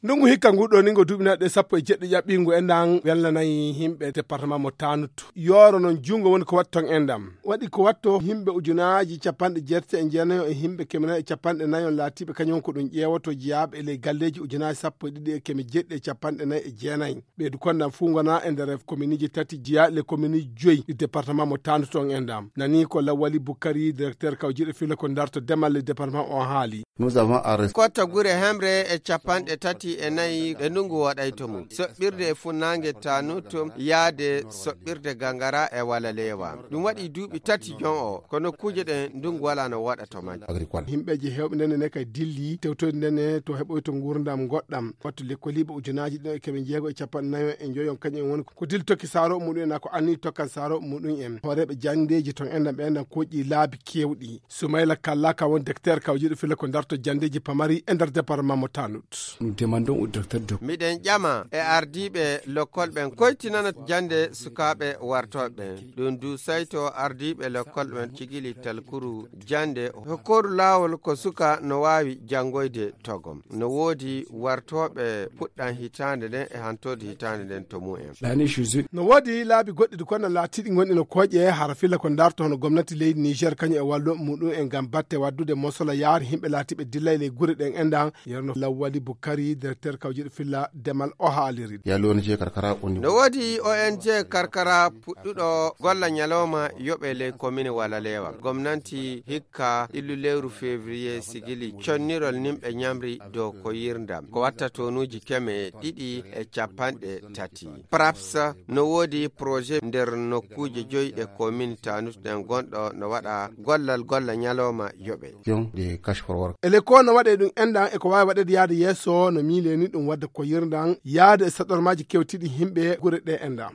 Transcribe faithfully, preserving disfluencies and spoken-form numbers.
Ndungu hikka ngu ɗo ni ngo duuɓi nayi ɗe sappo e jeɗɗi ƴaɓɓingu e ndan welnanayi himɓe département mo Tanut. Yooro non jungo woni ko watton e ndam. Waɗi ko watto himɓe ujunaaji capanɗe jeetati e jeenayo e himɓe keme nayi e capanɗe nayo laatiiɓe kañum ko ɗum ƴeewoto jeyaaɓe e ley galleeji ujunaaji sappo e ɗiɗi e keme jeɗɗi e capanɗe nayi e jeenayi. Ɓeydu kon ndam fuu ngona e nder kominiji tati jeyaaɗi le kominiji joyi ɗi département mo Tanut on e ndam. Nani ko Lawali Bukari, directeur kawjiiɗo filla ko darto demal le département o haali. Nous avons arrêté. Kotta gure hemre e capanɗe tati e nayi ɗe ndungu waɗayto mum. Soɓɓirde e funnaange Tanut yaade soɓɓirde Gangara e Walalewa. Ɗum waɗi duuɓi tati jon o, kono kuuje ɗen ndungu wala no waɗa to majje. Agricole. Himɓeeji hewɓe ndene ne kay dilli tewtoyde ndene to heɓoyto nguurndam goɗɗam. Wattu lekkoliiɓe ujunaaji ɗiɗi e keme jeego e capanɗe nayo e njoyon kañum en woni ko dilli tokki saaro muɗum en, ko anni tokkan saaro muɗum en. Hooreeɓe janndeeji ton enɗam ɓe enɗam koƴƴi laabi kewɗi. Sumayla Kalla ka won directeur kawjiiɗo filla ko darto janndeeji pamari e nder département mo Tanut. Nous demandons au directeur de Miɗen ƴama e ardiiɓe lokkol ɓen koytinana jannde sukaaɓe wartooɓe ɓen. Ɗum du sayto ardiiɓe lokkol ɓen cigili talkuru jannde hokkoru laawol ko suka no waawi janngoyde togom. No woodi wartooɓe puɗɗan hitaande nden e hantoode hitaande nden to mum en. L'année Jésus. No woodi laabi goɗɗi ɗi kono laatiiɗi gonɗi no kooƴe hara filla ko darto hono gomnati leydi Niger kañum e wallo muɗum en ngam batte waddude mosola yaari himɓe laatiiɓe dillay ley gure ɗen enɗan. Yerno Lawwali Bukari, directeur kawjiiɗo filla demal o haaliri. Il y a l'O N G Karkara au niveau. No woodi O N G Karkara puɗɗuɗo golla ñalawma yoɓe ley komine Walalewa. Gomnanti hikka illu lewru février sigili connirol nimɓe ñamri dow ko yirndam. Ko watta tonuuji keme ɗiɗi e capanɗe tati. Praps no woodi projet nder nokkuuje joyi ɗe komine Tanut ɗen gonɗo no waɗa gollal golla ñalawma yoɓe. Pion de cash for work. Ele ko no waɗe ɗum enɗan e ko waawi waɗede yaade yeeso no miileni ɗum wadde ko yirndan yaade e saɗormaaji kewtiɗi himɓe gure ɗe enɗan.